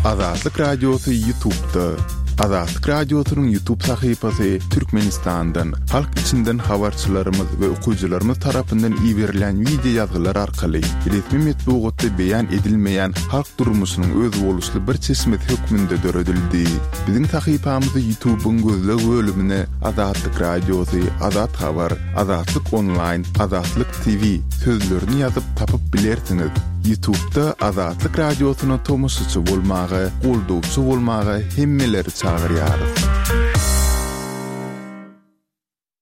Azatlyk Radiosy Ýutubda. Azatlyk Radiosynyň Ýutub sahypasy Türkmenistandan, halk içinden habarçylarymyz we okyjylarymyz tarapyndan iberilýän wideo ýazgylar arkaly resmi metbugatda beýan edilmeýän halk durmuşynyň özboluşly bir çeşmesi hökmünde döredildi. Biziň sahypamyzy Ýutubyň gözleg bölümine Azatlyk Radiosy, Azat Habar, Azatlyk Onlaýn, Azatlyk TV sözlerini ýazyp tapyp bilersiňiz. Ýutubda Azatlyk Radiosyna tomaşaçy bolmaga, goldawçy bolmaga hemmeleri çagyrýarys.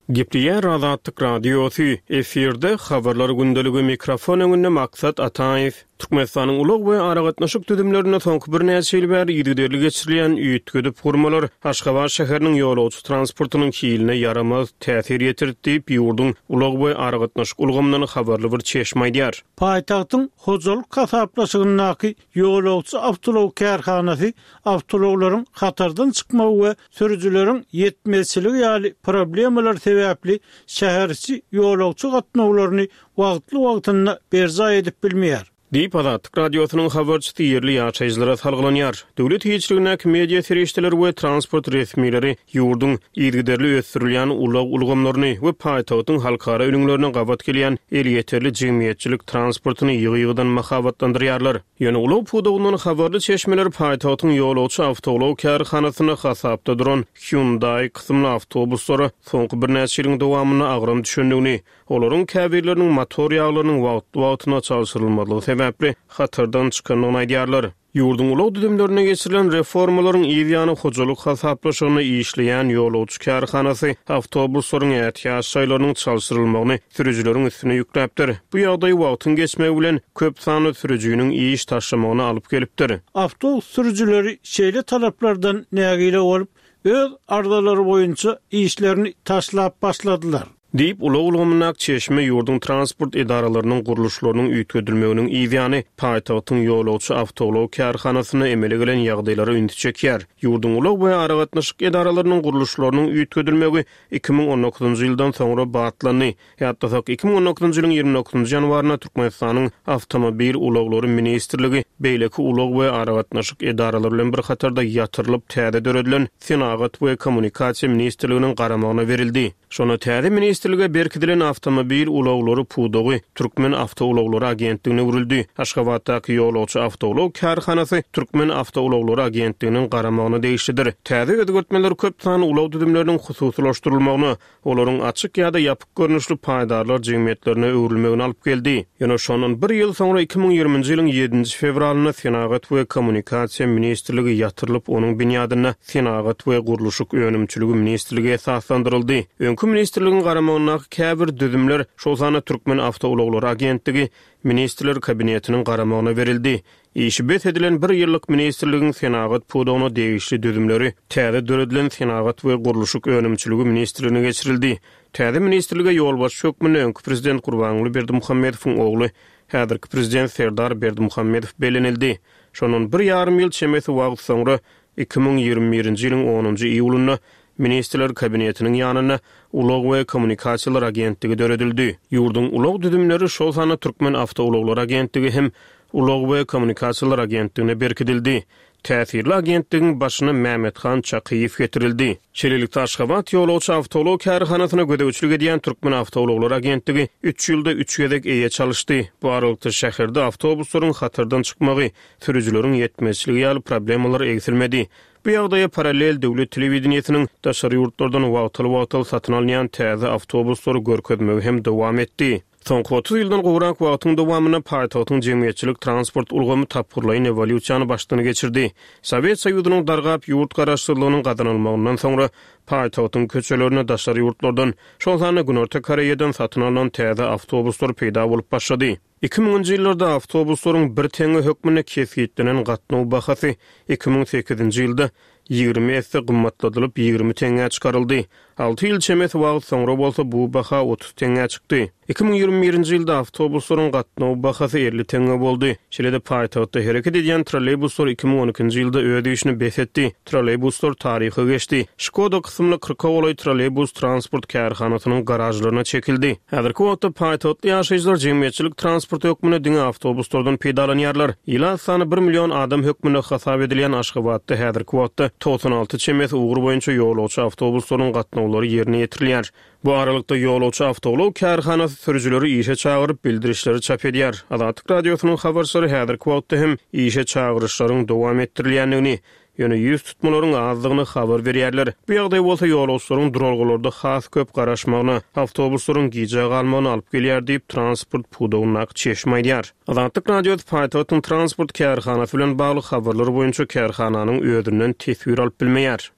Gepleýär Azatlyk Radiosy, efirde Habarlar gündeligi, mikrofon öňünde Maksat Ataýew. Türkmenistanyň ulag we aragatnaşyk düzümlerinde soňky birnäçe ýyl bäri yzygiderli geçirilýän üýtgedip gurmalar Aşgabat şäheriniň ýolagçy transportynyň hiline ýaramaz täsir ýetirdi diýip, ýurduň ulag we aragatnaşyk ulgamyndan habarly bir çeşme aýdýar. Paýtagtyň hojalyk hasaplaşygyndaky ýolagçy awtoulag kärhanasy awtoulaglaryň hatardan çykmagy we sürüjileriň ýetmezçiligi ýaly problemalar sebäpli şäheriçi ýolagçy gatnawlaryny wagtly-wagtynda berjaý edip bilmeýär. Diýip, Azatlyk Radiosynyň habarçysy ýerli ýaşaýjylara salgylanýar. Döwlet eýeçiligindäki media serişdeleri we transport resmileri ýurduň yzygiderli ösdürilýän ulag ulgamlaryny we paýtagtyň halkara ülňülerine gabat gelýän elýeterli jemgyýetçilik transportyny ýygy-ýygydan mahabatlandyrýarlar. Ýöne ulag pudagyndan habarly çeşmeler paýtagtyň ýolagçy awtoulag kärhanasynda hasapda duran Hyundai kysymly awtobuslara soňky birnäçe ýylyň dowamynda agram düşendigini, Olaryň käbirleriniň motor ýaglarynyň wagtly-wagtynda çalşyrylmazlygy sebäpli hatardan çykandygyny aýdýarlar. Ýurduň ulag düzümlerinde geçirilen reformalaryň yz ýany hojalyk hasaplaşygynda işleýän ýolagçy kärhanasy awtobuslaryň ätiýaç şaýlarynyň çalşyrylmagyny sürüjileriň üstüne ýükläpdir. Bu ýagdaý wagtyň geçmegi bilen köp sanly sürüjiniň iş taşlamagyna alyp gelipdir. Awtobus sürüjileri şeýle talaplardan nägile bolup, öz arzalary boýunça işlerini taşlap başladylar. Diýip, ulag ulgamyndaky çeşme ýurduň transport edaralarynyň gurluşlarynyň üýtgedilmeginiň yzýany paýtagtyň ýolagçy awtoulag kärhanasynda emele gelen ýagdaýlara ünsi çekýär. Ýurduň ulag we aragatnaşyk edaralarynyň gurluşlarynyň üýtgedilmegi 2019-njy ýyldan soňra batlandy. Ýatlasak, 2019-njy ýylyň 29 ýanwarynda Türkmenistanyň Awtomobil ulaglary ministrligi beýleki ulag we aragatnaşyk edaralary bilen bir hatarda ýatyrylyp täze döredilen Senagat we kommunikasiýa ministrliginiň garamagyna berildi. Şonda täze ministrlige berkidilen awtomobil ulaglary pudagy Türkmen awtoulaglary agentligine öwrüldi. Aşgabatdaky ýolagçy awtoulag kärhanasy Türkmen awtoulaglary agentliginiň garamagyna degişlidir. Täze özgertmeler köp sanly ulag düzümleriniň hususylaşdyrylmagyna, olaryň açyk ýa-da ýapyk görnüşli paýdarlar jemgyýetlerine öwrülmegine alyp geldi. Ýöne şondan bir ýyl soňra, 2020-nji ýylyň ýedinji fewralynda Senagat we kommunikasiýa ministrligi ýatyrylyp, onuň binýadynda Senagat we gurluşyk önümçiligi ministrligi esaslandyryldy. Öňki ministrligiň garamagyndaky käbir düzümler, şol sanda Türkmen awtoulaglary agentligi Ministrler Kabinetiniň garamagyna berildi. Işi bes edilen bir ýyllyk ministrligiň senagat pudagyna degişli düzümleri täze döredilen Senagat we gurluşyk önümçiligi ministrligine geçirildi. Täze ministrlige ýolbaşçy hökmünde öňki prezident Gurbanguly Berdimuhamedowyň ogly, häzirki prezident Serdar Berdimuhamedow bellenildi. Şondan bir ýarym ýyl çemesi wagt soňra, 2021-nji ýylyň onunjy iýulynda Ministrler Kabinetiniň ýanynda Ulag we kommunikasiýalar agentligi döredildi. Ýurduň ulag düzümleri, şol sanda Türkmen awtoulaglary agentligi hem Ulag we kommunikasiýalar agentligine berkidildi. Täsirli agentligiň başyna Mämmethan Çakyýew getirildi. Şeýlelikde, Aşgabat ýolagçy awtoulag kärhanasyna gözegçilik edýän Türkmen awtoulaglary agentligi üç ýylda üç gezek eýe çalyşdy. Bu aralykda şäherde awtobuslaryň hatardan çykmagy, sürüjileriň ýetmezçiligi ýaly problemalar egsilmedi. Bu ýagdaýa parallel döwlet telewideniýesiniň daşary ýurtlardan wagtal-wagtal satyn alynýan täze awtobuslary görkezmegi hem dowam etdi. Soňky 30 ýyldan gowrak wagtyň dowamynda paýtagtyň jemgyýetçilik transport ulgamy tapgyrlaýyn ewolýusiýany başdan geçirdi. Sowet Soýuzynyň dargap, ýurt garaşsyzlygynyň gazanylmagyndan soňra paýtagtyň köçelerinde daşary ýurtlardan, şol sanda Günorta Koreýadan satyn alnan täze awtobuslar peýda bolup başlady. Iki müňünji ýyllarda awtobuslaryň bir teňňe hökmünde kesgitlenen gatnaw bahasy 2008-nji ýylda 20 esse gymmatladylyp, 20 teňňä çykaryldy. Alty ýyl çemesi wagt soňra bolsa bu baha 30 teňňä çykdy. 2021-nji ýylda awtobuslaryň gatnaw bahasy 50 teňňe boldy. Şeýle-de paýtagtda hereket edýän trolleýbuslar 2012-nji ýylda öz işini bes etdi. Trolleýbuslar taryha geçdi. Şkoda kysymly kyrka golaý trolleýbus transport kärhanasynyň garažlaryna çekildi. Häzirki wagtda paýtagtly ýaşaýjylar jemgyýetçilik transporty hökmünde diňe awtobuslardan peýdalanýarlar. Ilat sany bir million adam hökmünde hasap edilýän Aşgabatda häzirki wagtda 96 çemesi ugur boýunça ýolagçy awtobuslaryň gatnawlary ýerine ýetirilýär. Bu aralykda, ýolagçy awtoulag kärhanasy sürüjileri işe çagyryp, bildirişleri çap edýär. Azatlyk Radiosynyň habarçylary häzirki wagtda hem işe çagyryşlaryň dowam etdirilýändigini, ýöne ýüz tutmalaryň azdygyny habar berýärler. Bu ýagdaý bolsa ýolagçylaryň duralgalarda has köp garaşmagyna, awtobuslaryň gijä galmagyna alyp gelýär diýip, transport pudagyndaky çeşme aýdýar. Azatlyk Radiosy paýtagtyň transport kärhanasy bilen bagly habarlar boýunça kärhananyň özünden teswir alyp bilmeýär.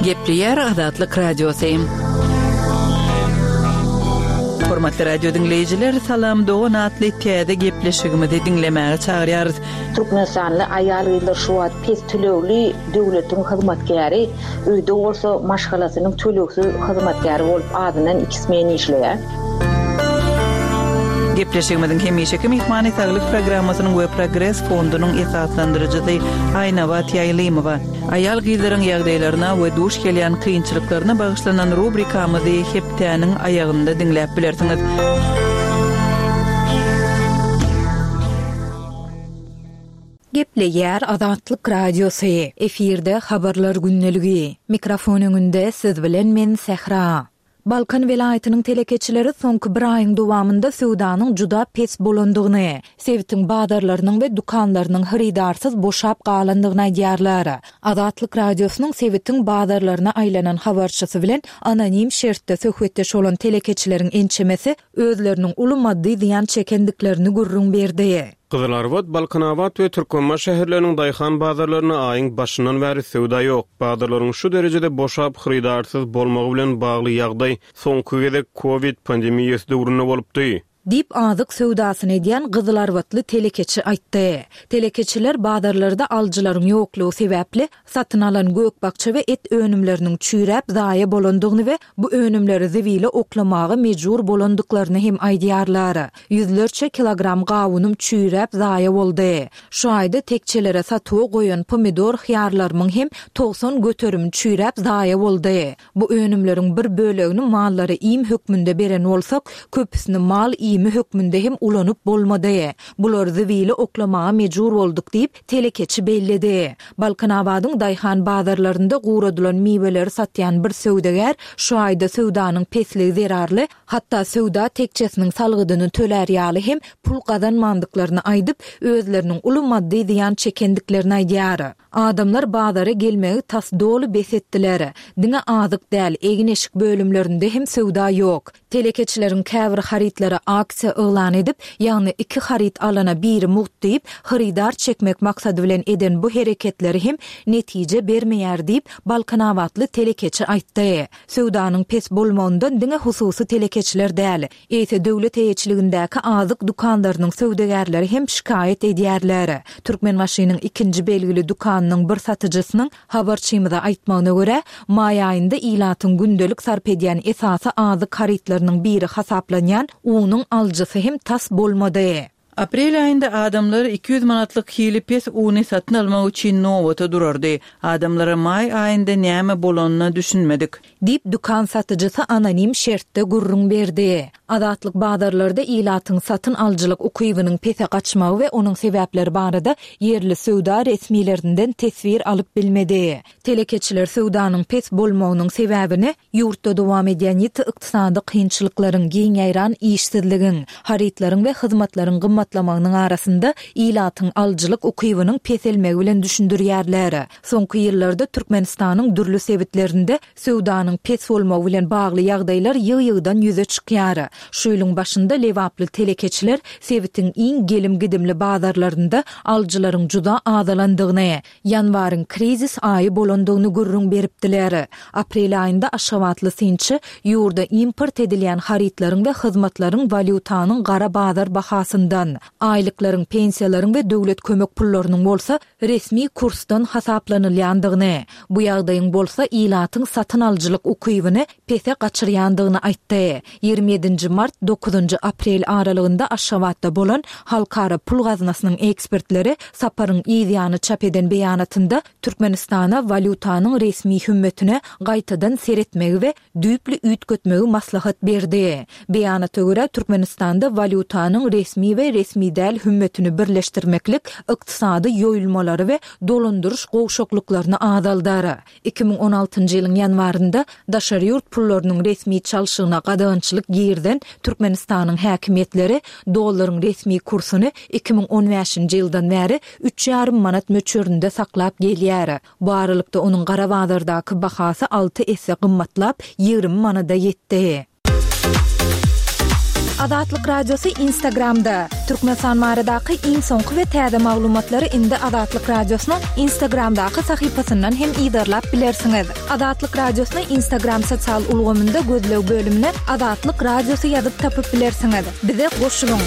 Gepleýär Azatlyk Radiosy. Hormatly radio diňleýjiler, Salam dogan atly täze gepleşigimizi diňlemäge çagyrýarys. Türkmenistanly aýal-gyzlar şu wagt pes tölegli döwletiň hyzmatkäri, öýde bolsa maşgalasynyň tölegsiz hyzmatkäri bolup azyndan iki smen işleýär. Gepleşigimiziň hemişeki myhmany Saglyk programmasynyň we Progres fondunyň esaslandyryjysy Aýnabat Ýaýlymowa. Aýal-gyzlaryň ýagdaýlaryna we duş gelýän kynçylyklaryna bagyşlanan rubrikamyzy hepdäniň aýagynda diňläp bilersiňiz. Gepleýär Azatlyk Radiosy, efirde Habarlar gündeligi. Mikrofon öňünde siz bilen men Sähra. Balkan welaýatynyň telekeçileri soňky bir aýyň dowamynda söwdanyň juda pes bolandygyny, sebitiň bazarlarynyň we dükanlarynyň hyrydarsyz boşap galandygyny aýdýarlar. Azatlyk Radiosynyň sebitiň bazarlaryna aýlanan habarçysy bilen anonim şertde söhbetdeş bolan telekeçileriň ençemesi özleriniň uly maddy zyýan çekendiklerini gürrüň berdi. Gyzylarbat, Balkanabat we Türkmenbaşy şäherleriniň daýhan bazarlarynda aýyň başyndan bäri söwda ýok. Bazarlaryň şu derejede boşap, hyrydarsyz bolmagy bilen bagly ýagdaý soňky gezek kowid pandemiýasy döwründe bolupdy. Diýip, azyk söwdasyny edýän gyzylarbatly telekeçi aýtdy. Telekeçiler bazarlarda alyjylaryň ýoklugy sebäpli, Satyn alan gök-bakja we et önümleriniň çüýräp zaýa bolandygyny we bu önümleri zibile oklamaga mejbur bolandyklaryny hem aýdýarlar. Ýüzlerçe kilogram gawunym çüýräp zaýa boldy. Şu aýda tekjelere satuwa goýan pomidor-hyýarlarymyň hem 90 göterimi çüýräp zaýa boldy. Bu önümleriň bir bölegini mallara iým hökmünde beren bolsak, köpüsini mal iými hökmünde hem ulanyp bolmady. Bulary zibile oklamaga mejbur bolduk diýip, telekeçi belledi. Balkanabadyň daýhan bazarlarynda guradylan miweleri satýan bir söwdagär şu aýda söwdanyň pesligi zerarly, hatda söwda tekjesiniň salgydyny tölär ýaly hem pul gazanmandyklaryny aýdyp, özleriniň uly maddy zyýan çekendiklerini aýdýar. Adamlar bazara gelmegi tas doly bes etdiler. Diňe azyk däl, egin-eşik bölümlerinde hem söwda ýok. Telekeçileriň käbir harytlara aksiýa yglan edip, ýagny iki haryt alana biri mugt diýip, hyrydar çekmek maksady bilen eden bu hereketleri hem netije bermeýär diýip, balkanabatly telekeçi aýtdy. Söwdanyň pes bolmagyndan diňe hususy telekeçiler däl, eýse döwlet eýeçiligindäki azyk dükanlarynyň söwdagärleri hem şikaýat edýärler. Türkmenbaşynyň ikinji belgili dükanynyň bir satyjysynyň Habarçymyza aýtmagyna görä, maý aýynda ilatyň gündelik sarp edýän esasy azyk harytlarynyň biri hasaplanýan unuň alyjysy hem tas bolmady. Aprel aýynda adamlar 200 manatlyk hili pes uny satyn almak üçin nobata durardy. Adamlara maý aýynda näme bolanyna düşünmedik. Diýip, dükan satyjysy anonim şertde gürrüň berdi. Azatlyk bazarlarda ilatyň satyn alyjylyk ukybynyň pese gaçmagy we onuň sebäpleri barada ýerli söwda resmilerinden teswir alyp bilmedi. Telekeçiler söwdanyň pes bolmagynyň sebäbini ýurtda dowam edýän ýiti ykdysady kynçylyklaryň, giň ýaýran işsizligiň, harytlaryň we hyzmatlaryň gymmatlamagynyň arasynda ilatyň alyjylyk ukybynyň peselmegi bilen düşündirýärler. Soňky ýyllarda Türkmenistanyň dürli sebitlerinde söwdanyň pes bolmagy bilen bagly ýagdaýlar ýygy-ýygydan ýüze çykýar. Şu ýylyň başynda lebaply telekeçiler sebitiň iň gelim-gidimli bazarlarynda alyjylaryň juda azalandygyny, ýanwaryň krizis aýy bolandygyny gürrüň beripdiler. Aprel aýynda aşgabatly synçy ýurda import edilýän harytlaryň we hyzmatlaryň walýutanyň gara bazar bahasyndan. aýlyklaryň, pensiýalaryň we döwlet kömek pullarynyň bolsa resmi kursdan hasaplanylýandygyny, bu ýagdaýyň bolsa ilatyň satyn alyjylyk ukybyny pese gaçyrýandygyny aýtdy. 27 nji mart, dokuzynjy aprel aralygynda Aşgabatda bolan Halkara pul gaznasynyň ekspertleri saparyň yz ýany çap eden beýanatynda Türkmenistana walýutanyň resmi hümmetine gaýtadan seretmegi we düýpli üýtgetmegi maslahat berdi. Beýanata görä, Türkmenistanda walýutanyň resmi we resmi däl hümmetini birleşdirmeklik ykdysady ýoýulmalary we dolandyryş gowşaklyklaryny azaldar. 2016-njy ýylyň ýanwarynda daşary ýurt pullarynyň resmi çalşygyna gadagançylyk girizen Türkmenistanyň häkimiýetleri dollaryň resmi kursuny 2015-nji ýyldan bäri üç ýarym manat möçberinde saklap gelýär. Bu aralykda onuň gara bazardaky bahasy alty esse gymmatlap, 20 manada ýetdi. Azatlyk Radiosy Instagramda, Türkmenistan baradaky iň soňky we täze maglumatlary indi Azatlyk Radiosynyň Instagramdaky sahypasyndan hem yzarlap bilersiňiz. Azatlyk Radiosyny Instagram sosial ulgamynda gözleg bölümine Azatlyk Radiosy ýazyp tapyp bilersiňiz. Bize goşulyň!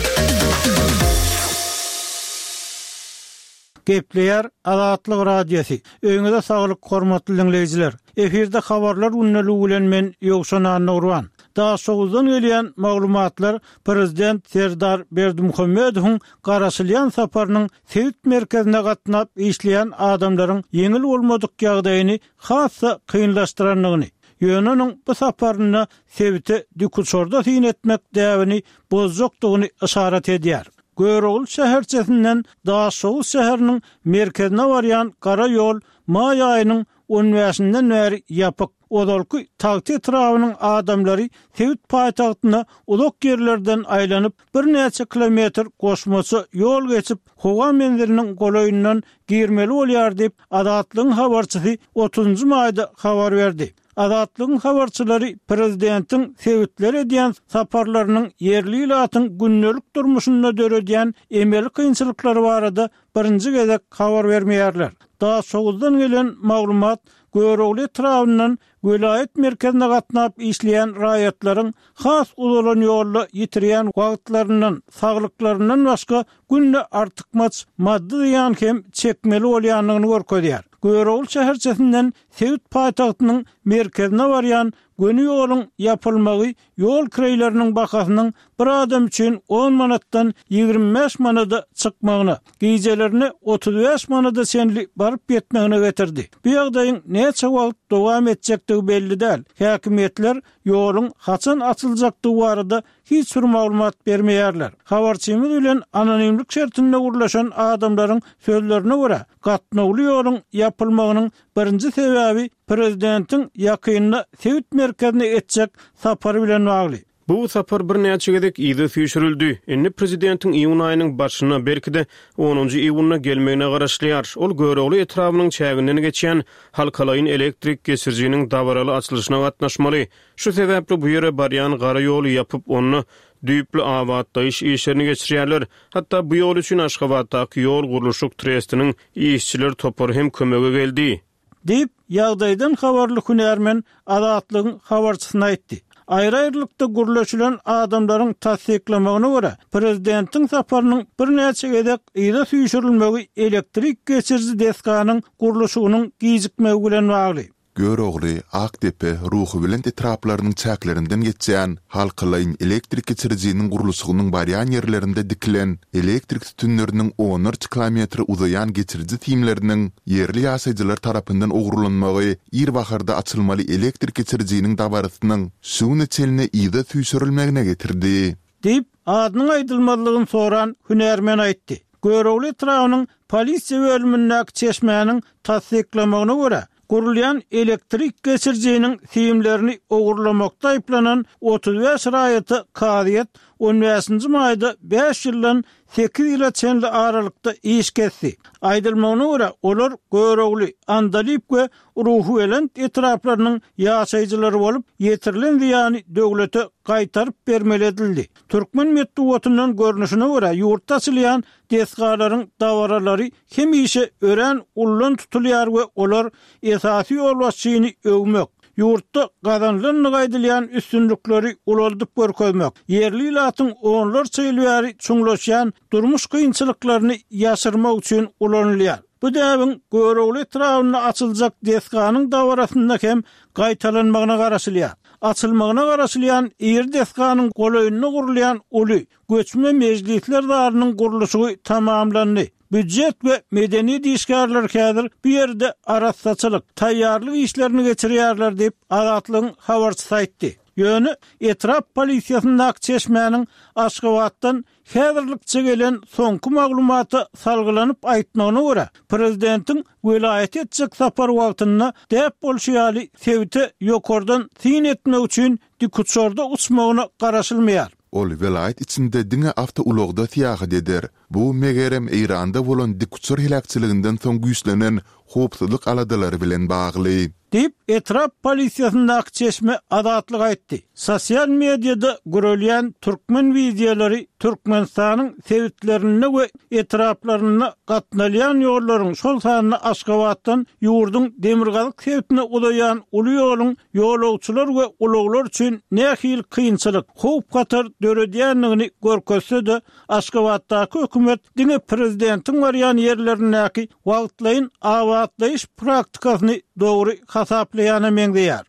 Gepleýär Azatlyk Radiosy. Öýüňize saglyk hormatly diňleýjiler. Efirde habarlar gündeligi bilen men Ýowşan Annagurban. Daşoguzdan gelýän maglumatlar prezident Serdar Berdimuhamedowyň garaşylýan saparynyň sebit merkezine gatnap işleýän adamlaryň ýeňil bolmadyk ýagdaýyny has-da kynlaşdyrandygyny, ýöne onuň bu saparynda sebite dikuçarda syn etmek däbini bozjakdygyny yşarat edýär. Görogly şäherçesinden Daşoguz şäheriniň merkezine barýan gara ýol maý aýynyň on bäşinden bäri ýapyk. Ozalky Tagta etrabynyň adamlary sebit paýtagtyna uzak ýerlerden aýlanyp, birnäçe kilometr goşmaça ýol geçip, howa menziliniň golaýyndan girmeli bolýar diýip, Azatlygyň habarçysy otuzynjy maýda habar berdi. Azatlygyň habarçylary prezidentiň sebitlere edýän saparlarynyň ýerli ilatyň gündelik durmuşynda döredýän emeli kynçylyklary barada birinji gezek habar bermeýärler. Daşoguzdan gelen maglumat Görogly etrabyndan welaýat merkezine gatnap işleýän raýatlaryň has uzalan ýolda ýitirýän wagtlaryndan, saglyklaryndan başga günde artykmaç maddy zyýan hem çekmeli bolýandygyny görkezýär. Görogly şäherçesinden Sebit paýtagtynyň merkezine barýan göni ýoluň ýapylmagy ýol kireýleriniň bahasynyň bir adam üçin on manatdan 25 manada çykmagyna, gijelerine 35 manada çenli baryp ýetmegine getirdi. Bu ýagdaýyň näçe wagt dowam etjekdigi belli däl. Häkimiýetler ýoluň haçan açyljakdygy barada hiç bir maglumat bermeýärler. Habarçymyz bilen anonimlik şertinde gürleşen adamlaryň sözlerine görä, gatnawly ýoluň ýapylmagynyň birinji sebäbi prezidentiň ýakynda sebit merkezine etjek sapary bilen bagly. Bu sapar birnäçe gezek yza süýşürildi. Indi prezidentiň iýun aýynyň başynda, belki-de, onunjy iýunda gelmegine garaşylýar. Ol Görogly etrabynyň çäginden geçýän halkalaýyn elektrik geçirijiniň dabaraly açylyşyna gatnaşmaly. Şu sebäpli bu ýere barýan gara ýoly ýapyp, onda düýpli abatlaýyş işlerini geçirýärler. Hatda bu ýol üçin Aşgabatdaky ýol gurluşyk trestiniň işçiler topary hem kömege geldi. Diýip, ýagdaýdan habarly hünärmen Azatlygyň habarçysyna aýtdy. Aýry-aýrylykda gürleşilen adamlaryň tassyklamagyna görä, prezidentiň saparynyň birnäçe gezek yza süýşürilmegi elektrik geçiriji desganyň gurluşygynyň gijikmegi bilen bagly. Görogly, Akdepe, Ruhubelent etraplarynyň çäklerinden geçýän halkalaýyn elektrik geçirijiniň gurluşygynyň barýan ýerlerinde dikilen elektrik sütünleriniň onlarça kilometre uzaýan geçiriji simleriniň ýerli ýaşaýjylar tarapyndan ogurlanmagy ir baharda açylmaly elektrik geçirijiniň dabarasynyň şu güne çenli yza süýşürilmegine getirdi. Diýip, adynyň aýdylmazlygyny soran hünärmen aýtdy. Görogly etrabynyň polisiýa bölümindäki çeşmäniň tassyklamagyna görä, gurulýan elektrik geçirijiniň simlerini ogurlamakda aýyplanan 35 raýata kazyýet on bäşinji maýda bäş ýyldan sekiz ýyla çenli aralykda iş kesdi. Aýdylmagyna görä, olar Görogly, Andalyp we Ruhubelent etraplarynyň ýaşaýjylary bolup, ýetirilen zyýany döwlete gaýtaryp bermeli edildi. Türkmen metbugatyndan görnüşine görä, ýurtda açylýan desgalaryň dabaralary hemişe örän ullan tutulýar we olar esasy ýolbaşçyny öwmek, Ýurtda gazanylandygy aýdylýan üstünlikleri ulaldyp görkezmek, ýerli ilatyň onlarça ýyl bäri çuňlaşýan durmuş kynçylyklaryny ýaşyrmak üçin ulanylýar. Bu däbiň Görogly etrabynda açyljak desganyň dabarasynda hem gaýtalanmagyna garaşylýar. Açylmagyna garaşylýan iri desganyň golaýynda gurulýan uly, göçme mejlisler zalynyň gurluşygy tamamlandy. Býujet we medeniýet işgärleri häzir bu ýerde arassaçylyk, taýýarlyk işlerini geçirýärler diýip, Azatlygyň habarçysy aýtdy. Ýöne etrap polisiýasyndaky çeşmäniň Aşgabatdan häzirlikçe gelen soňky maglumata salgylanyp aýtmagyna görä, prezidentiň welaýata etjek sapary wagtynda däp bolşy ýaly sebite ýokardan syn etmek üçin dikuçarda uçmagyna garaşylmaýar. Ol welaýat içinde diňe awtoulagda syýahat eder. Bu, megerem, Eýranda bolan dikuçar heläkçiliginden soň güýçlenen howpsuzlyk aladalary bilen bagly. Diýip, etrap polisiýasyndaky çeşme Azatlyga aýtdy. Sosial mediada gürelýän türkmen wideolary Türkmenistanyň sebitlerinde we etraplarynda gatnalýan ýollaryň, şol sanda Aşgabatdan ýurduň demirgazyk sebitine uzaýan uly ýoluň ýolagçylar we ulaglar üçin nähili kynçylyk, howp-hatar döredýändigini görkezse-de, Aşgabatdaky hökümet diňe prezidentiň barýan ýerlerindäki wagtlaýyn abatlaýyş praktikasyny dogry hasaplaýana meňzeýär.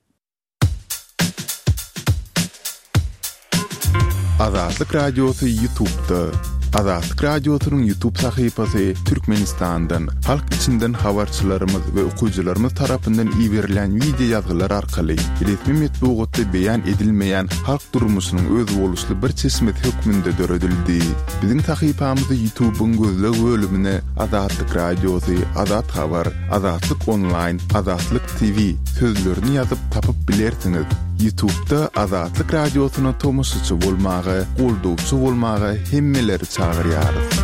Azatlyk Radiosy Ýutubda. Azatlyk Radiosynyň Ýutub sahypasy Türkmenistandan, halk içinden habarçylarymyz we okyjylarymyz tarapyndan iberilýän wideo ýazgylar arkaly resmi metbugatda beýan edilmeýän halk durmuşynyň özboluşly bir çeşmesi hökmünde döredildi. Biziň sahypamyzy Ýutubyň gözleg bölümine Azatlyk Radiosy, Azat Habar, Azatlyk Onlaýn, Azatlyk TV sözlerini ýazyp tapyp bilersiňiz. Ýutubda Azatlyk Radiosyna tomaşaçy bolmaga, goldawçy bolmaga hemmeleri çagyrýarys.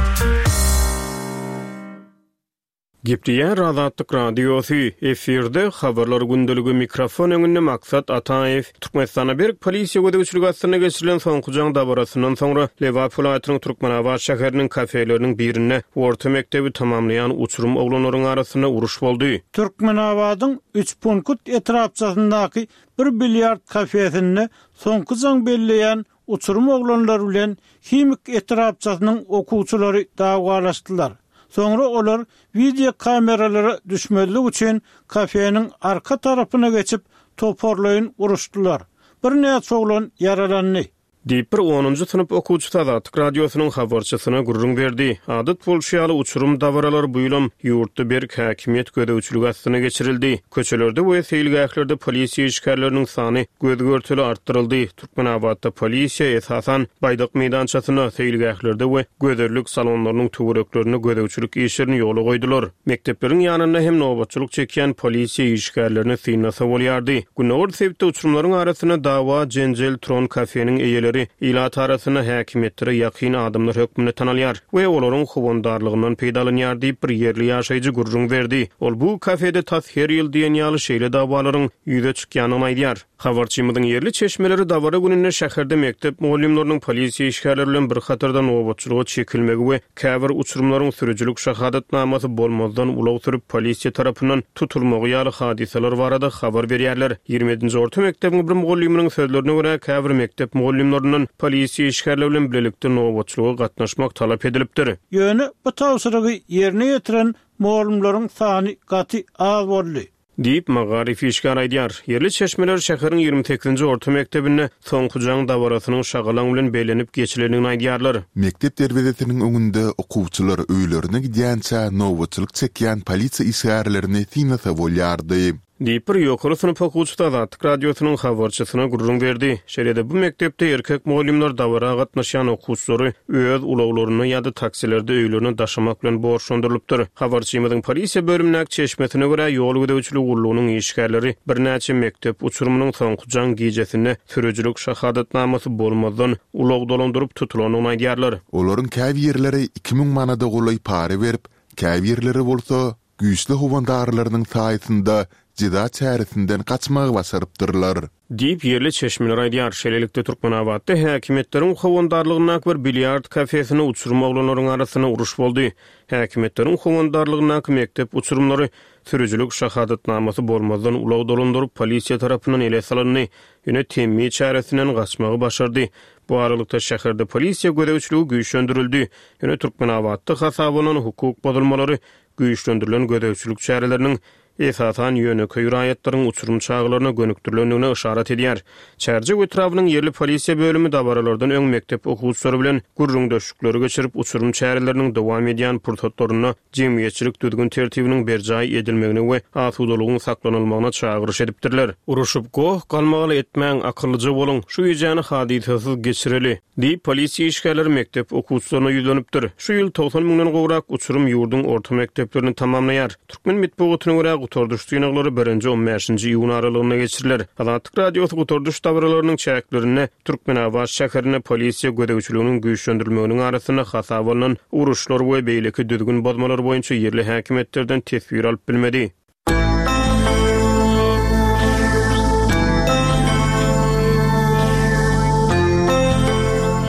Gepleýär Azatlyk Radiosy, efirde Habarlar gündeligi, mikrofon öňünde Maksat Ataýew. Türkmenistanda berk polisiýa gözegçiligi astynda geçirilen soňky jaň dabarasyndan soňra, Lebap welaýatynyň Türkmenabat şäheriniň kafeleriniň birinde orta mekdebi tamamlaýan uçurym oglanlaryň arasynda uruş boldy. Türkmenabadyň Üçpunkt etrapçasyndaky bir bilýard kafesinde soňky jaň belleýän Uçurym oglanlar bilen Himik etrapçasynyň okuwçylary dawalaşdylar. Soňra olar wideo kameralara düşmezlik üçin kafeniň arka tarapyna geçip, toparlaýyn uruşdylar. Birnäçe oglan ýaralandy. Diýip, bir onunjy synp okuwçysy Azatlyk Radiosynyň habarçysyna gürrüň berdi. Adat bolşy ýaly, uçurym dabaralary bu ýylam ýurtda berk häkimiýet gözegçiligi astynda geçirildi. Köçelerde we seýilgählerde polisiýa işgärleriniň sany göz-görtele artdyryldy. Türkmenabatda polisiýa, esasan, Baýdak meýdançasynda, seýilgählerde we gözellik salonlarynyň töwereklerinde gözegçilik işlerini ýola goýdular. Mekdepleriň ýanynda hem nobatçylyk çekýän polisiýa işgärlerini synlasa bolýardy. Gündogar sebitde uçurymlaryň arasynda dawa-jenjel turan kafeniň eýeleri ilat arasynda häkimiýetlere ýakyn adamlar hökmünde tanalýar we olaryň howandarlygyndan peýdalanýar diýip, bir ýerli ýaşaýjy gürrüň berdi. Ol bu kafede tas her ýyl diýen ýaly şeýle dawalaryň ýüze çykýandygyny aýdýar. Habarçymyzyň ýerli çeşmeleri dabara gününde şäherde mekdep mugallymlarynyň polisiýa işgärleri bilen bir hatarda nobatçylyga çekilmegi we käbir uçurymlaryň sürüjilik şahadatnamasy bolmazdan ulag sürüp polisiýa tarapyndan tutulmagy ýaly hadysalar barada habar berýärler. Ýigrimi ýedinji orta mekdebiň bir mugallymynyň sözlerine görä, käbir mekdep mugallymlaryndan polisiýa işgärleri bilen bilelikde nobatçylyga gatnaşmak talap edilipdir. Ýöne bu tabşyrygy ýerine ýetiren mugallymlaryň sany gaty az boldy. Diýip, magaryf işgäri aýdýar. Ýerli çeşmeler şäheriň 28-nji orta mekdebinde Soňky jaň dabarasynyň şagalaň bilen bellenip geçilendigini aýdýarlar. Mekdep derwezesiniň öňünde okuwçylar öýlerine gidýänçä nobatçylyk çekýän polisiýa işgärlerini synlasa bolýardy. Diýip, bir ýokary synp okuwçysy Azatlyk Radiosynyň habarçysyna gürrüň berdi. Şeýle-de bu mekdepde erkek mugallymlar dabara gatnaşýan okuwçylary öz ulaglarynda ýa-da taksilerde öýlerine daşamak bilen borçlandyrylypdyr. Habarçymyzyň polisiýa bölümindäki çeşmesine görä, ýol gözegçiligi gullugynyň işgärleri birnäçe mekdep uçurymynyň soňky jaň gijesinde sürüjilik şahadatnamasy bolmazdan ulag dolandyryp tutulandygyny aýdýarlar. Olaryň käbirleri 2000 manada golaý para berip, käbirleri bolsa, güýçli howandarlarynyň saýasynda. jeza çäresinden gaçmagy başarypdyrlar. Diýip, ýerli çeşmeler aýdýar. Şeýlelikde, Türkmenabatda häkimiýetleriň howandarlygyndaky bir bilýard kafesinde uçurym oglanlaryň arasynda uruş boldy. Häkimiýetleriň howandarlygyndaky mekdep uçurymlary sürüjilik şahadatnamasy bolmazdan ulag dolandyryp, polisiýa tarapyndan ele salyndy. Ýöne temmi çäresinden gaçmagy başardy. Bu aralykda, şäherde polisiýa gözegçiligi güýçlendirildi. Ýöne Türkmenabatda hasaba alnan hukuk bozulmalary güýçlendirilen gözegçilik çäreleriniň esasan ýönekeý raýatlaryň uçurym çagalaryna gönükdirilendigine yşarat edýär. Çärjew etrabynyň ýerli polisiýa bölümi dabaralardan öň mekdep okuwçylary bilen gürrüňdeşlikleri geçirip, uçurym çäreleriniň dowam edýän pursatlarynda jemgyýetçilik düzgün-tertibiniň berjaý edilmegine we asudalygyň saklanylmagyna çagyryş edipdirler. Uruşyp, goh-galmagal etmäň, akyllyja boluň, şu gijäni hadysasyz geçireli! Diýip, polisiýa işgärleri mekdep okuwçylaryna ýüzlenipdir. Şu ýyl 90 müňden gowrak uçurym ýurduň orta mekdeplerini tamamlaýar. Türkmen metbugatyna görä, gutardyş synaglary birinji, on bäşinji iýun aralygynda geçiriler. Azatlyk Radiosy gutardyş dabaralarynyň çäklerinde Türkmenabat şäherinde polisiýa gözegçiliginiň güýçlendirilmeginiň arasynda hasaba alnan uruşlar we beýleki düzgün bozmalar boýunça ýerli häkimiýetlerden teswir alyp bilmedi.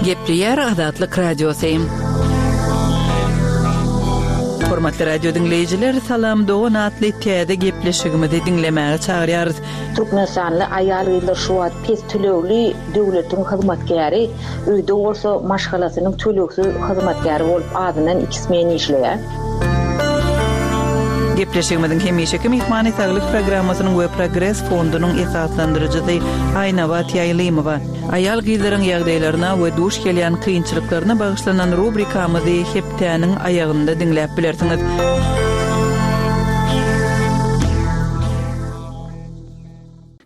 Gepleýär Azatlyk Radiosy. Hormatly radio diňleýjiler, Salam dogan atly täze gepleşigimizi diňlemäge çagyrýarys. Türkmenistanly aýal-gyzlar şu wagt pes tölegli döwletiň hyzmatkäri, öýde bolsa maşgalasynyň tölegsiz hyzmatkäri bolup azyndan iki smen işleýär. Gepleşigimiziň hemişeki myhmany Saglyk programmasynyň we Progres fondunyň esaslandyryjysy Aýnabat Ýaýlymowa. Aýal-gyzlaryň ýagdaýlaryna we duş gelýän kynçylyklaryna bagyşlanan rubrikamyzy hepdäniň aýagynda diňläp bilersiňiz.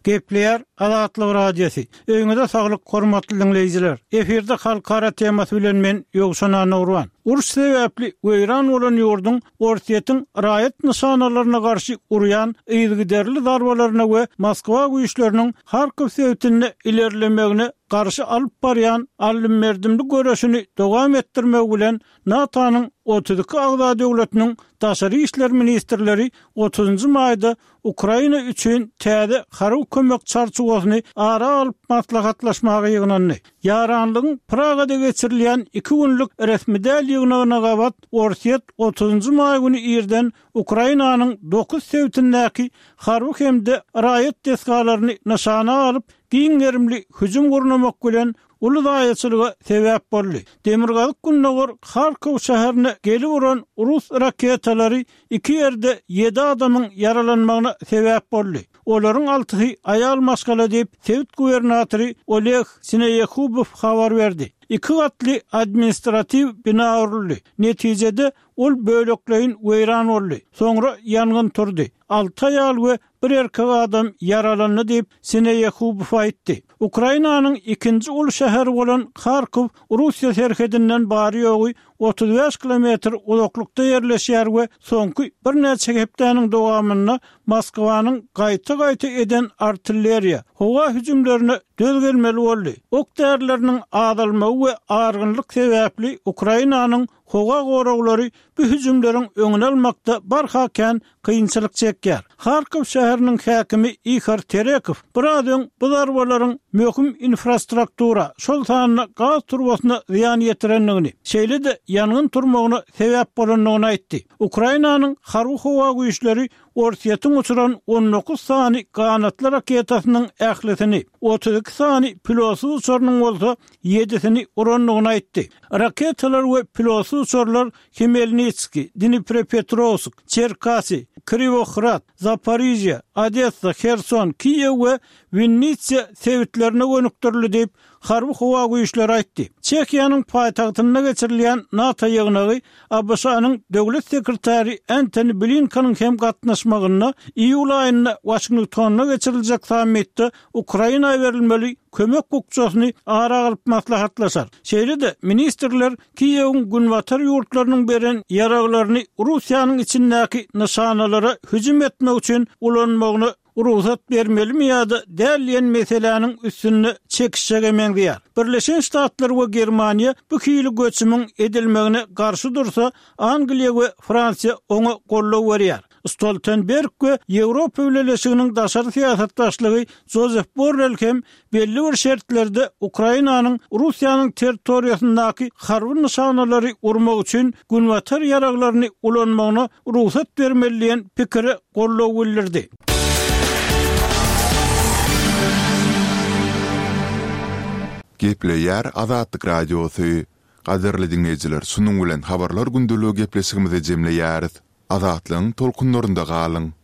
Gepleýär Azatlyk Radiosy. Öýüňize saglyk hormatly diňleýjiler. Efirde halkara temasy bilen men Ýowşan Annagurban. Uruş sebäpli weýran bolan ýurduň Orsýetiň raýat nyşanalaryna garşy urýan yzygiderli zarbalaryna we Moskwa güýçleriniň Harkow sebitinde ilerlemegine garşy alyp barýan aldym-berdimli göreşini dowam etdirmegi bilen NATO-nyň 32 agza döwletiniň daşary işler ministrleri otuzynjy maýda Ukraina üçin täze harby kömek çarçuwasyny ara alyp maslahatlaşmaga ýygnandy. Ýaranlygyň Pragada geçirilýän iki günlük resmi däl ýygnagyna gabat Orsýet otuzynjy maý güni irden Ukrainanyň dokuz sebitindäki harby hem-de raýat desgalaryny nyşana alyp, giň gerimli hüjüm gurnamak bilen uly zaýaçylyga sebäp boldy. Demirgazyk-gündogar Harkow şäherine gelip uran rus raketalary iki ýerde ýedi adamyň ýaralanmagyna sebäp boldy. Olaryň altysy aýal maşgala diýip, sebit gubernatory Oleg Sineýehubow habar berdi. Iki gatly administratiw bina uruldy. Netijede, ol bölekleýin weýran boldy. Soňra ýangyn turdy. Alty aýal we Bir erkek adam ýaralandy diýip, Sineýehubow aýtdy. Ukrainanyň ikinji uly şäheri bolan Harkow Russiýa serhedinden bary-ýogy 35 kilometr uzaklykda ýerleşýär we soňky birnäçe hepdäniň dowamynda Moskwanyň gaýta-gaýta eden artilleriýa, howa hüjümlerine döz gelmeli boldy. Ok-därileriniň azalmagy we argynlyk sebäpli Ukrainanyň howa goraglary bu hüjümleriň öňüni almakda barha kän kynçylyk çekýär. Harkow şäheriniň häkimi Ihor Terekow biraz öň bu zarbalaryň möhüm infrastruktura, şol sanda gaz turbasyna zyýan ýetirendigini, şeýle-de ýangyn turmagyna sebäp bolandygyny aýtdy. Ukrainanyň harby-howa güýçleri Orsýetiň uçuran 19 sany ganatly raketasynyň ählisini, 32 sany pilotsyz uçarynyň bolsa ýedisini urandygyny aýtdy. Raketalar we pilotsyz uçarlar Hmelnitskiý, Dniprepetrowsk, Çerkasy, Kriwohrad, Zaporižýa, Odessa, Herson, Kiýew we Winnitsa sebitlerine gönükdirildi diýip, Harby-howa güýçleri aýtdy. Çehiýanyň paýtagtynda geçirilýän NATO ýygnagy ABŞ-nyň Döwlet sekretary Entoni Blinkeniň hem gatnaşmagynda iýul aýynda Waşingtonda geçiriljek sammitde Ukraina berilmeli kömek bukjasyny ara alyp maslahatlaşar. Şeýle-de, ministrler Kiýewiň günbatar ýurtlarynyň beren ýaraglaryny Russiýanyň içindäki nyşanalara hüjüm etmek üçin ulanmagyna rugsat bermelimi ýa-da däl diýen meseläniň üstünde çekişjege meňzeýär. Birleşen Ştatlar we Germaniýa bu hili göçümiň edilmegine garşy dursa, Angliýa we Fransiýa oňa goldaw berýär. Stoltenberg we Ýewropa Bileleşiginiň daşary syýasat başlygy Jozef Borrel hem belli bir şertlerde Ukrainanyň Russiýanyň territoriýasyndaky harby nyşanalary urmak üçin günbatar ýaraglaryny ulanmagyna rugsat bermeli diýen pikire goldaw bildirdi. Gepleýär Azatlyk Radiosy. Gadyrly diňleýjiler şunuň bilen Habarlar gündeligi gepleşigimizi jemleýäris. Azatlygyň tolkunlarynda galyň!